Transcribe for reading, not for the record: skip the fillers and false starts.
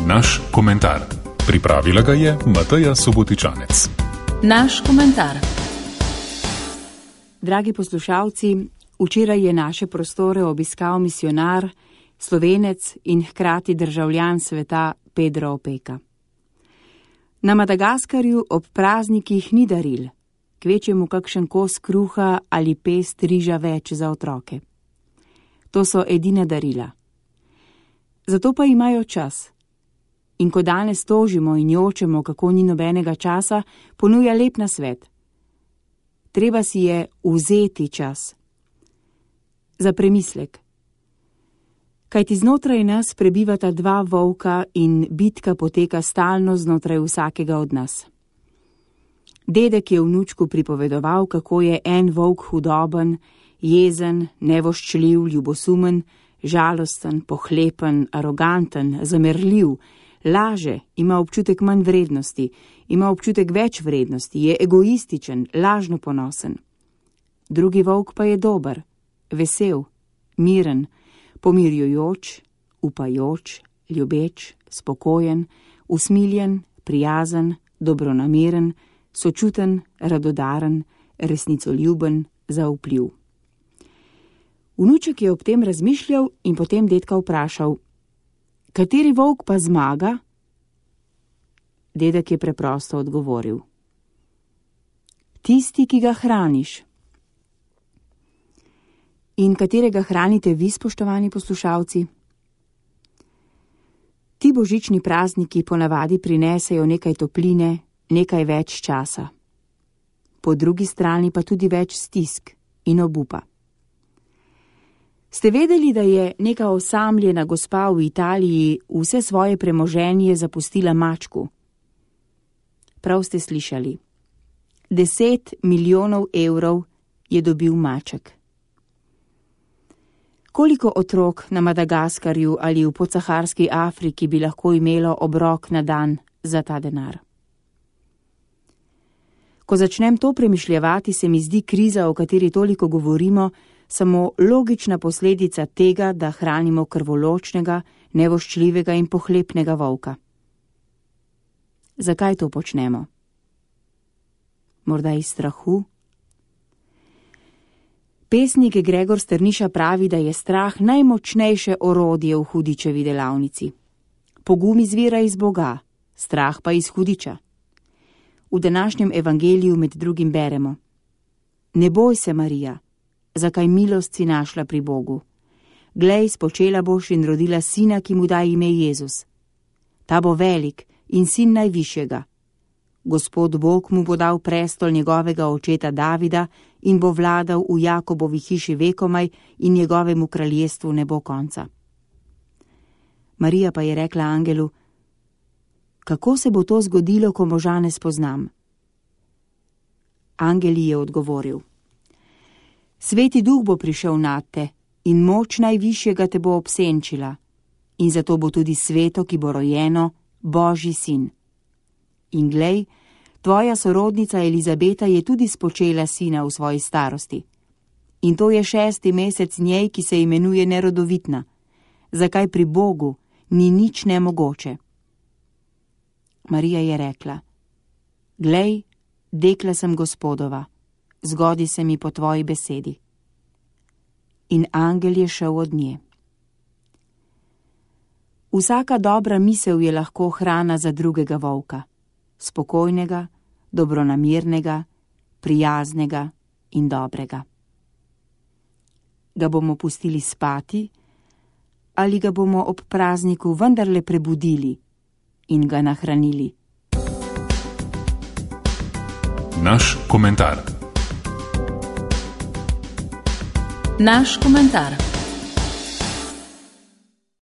Naš komentar. Pripravila ga je Mateja Subotičanec. Naš komentar. Dragi poslušalci, včeraj je naše prostore obiskal misijonar, Slovenec in hkrati državljan sveta Pedro Opeka. Na Madagaskarju ob praznikih ni daril, kvečjemu kakšen kos kruha ali pest riža več za otroke. To so edina darila. Zato pa imajo čas. In ko danes tožimo in jočemo, kako ni nobenega časa, ponuja lep nasvet. Treba si je vzeti čas. Za premislek. Kajti znotraj nas prebivata dva volka in bitka poteka stalno znotraj vsakega od nas. Dedek je vnučku pripovedoval, kako je en volk hudoben, jezen, nevoščljiv, ljubosumen, žalosten, pohlepen, aroganten, zamerljiv, laže, ima občutek manj vrednosti, ima občutek več vrednosti, je egoističen, lažno ponosen. Drugi volk pa je dober, vesel, miren, pomirjujoč, upajoč, ljubeč, spokojen, usmiljen, prijazen, dobronameren, sočuten, radodaren, resnicoljuben, zaupljiv. Vnuček je ob tem razmišljal in potem dedka vprašal: kateri volk pa zmaga? Dedek je preprosto odgovoril: tisti, ki ga hraniš. In katerega hranite vi, spoštovani poslušalci? Ti božični prazniki ponavadi prinesejo nekaj topline, nekaj več časa. Po drugi strani pa tudi več stisk in obupa. Ste vedeli, da je neka osamljena gospa v Italiji vse svoje premoženje zapustila mačku? Prav ste slišali. 10 milijonov evrov je dobil maček. Koliko otrok na Madagaskarju ali v podsaharski Afriki bi lahko imelo obrok na dan za ta denar? Ko začnem to premišljevati, se mi zdi kriza, o kateri toliko govorimo, samo logična posledica tega, da hranimo krvoločnega, nevoščljivega in pohlepnega volka. Zakaj to počnemo? Morda iz strahu? Pesnik Gregor Strniša pravi, da je strah najmočnejše orodje v hudičevi delavnici. Pogum izvira iz Boga, strah pa iz hudiča. V današnjem evangeliju med drugim beremo: ne boj se, Marija, zakaj milost si našla pri Bogu. Glej, spočela boš in rodila sina, ki mu da ime Jezus. Ta bo velik in sin najvišjega. Gospod Bog mu bo dal prestol njegovega očeta Davida in bo vladal v Jakobovi hiši vekomaj in njegovemu kraljestvu ne bo konca. Marija pa je rekla angelu: kako se bo to zgodilo, ko moža ne spoznam? Angel ji je odgovoril: Sveti duh bo prišel nad te in moč najvišjega te bo obsenčila in zato bo tudi sveto, ki bo rojeno, Božji sin. In glej, tvoja sorodnica Elizabeta je tudi spočela sina v svoji starosti. In to je 6. mesec njej, ki se imenuje nerodovitna. Zakaj pri Bogu ni nič nemogoče? Marija je rekla: glej, dekla sem Gospodova, zgodi se mi po tvoji besedi. In angel je šel od nje. Vsaka dobra misel je lahko hrana za drugega volka, spokojnega, dobronamernega, prijaznega in dobrega. Ga bomo pustili spati ali ga bomo ob prazniku vendarle prebudili in ga nahranili? Naš komentar. Naš komentar.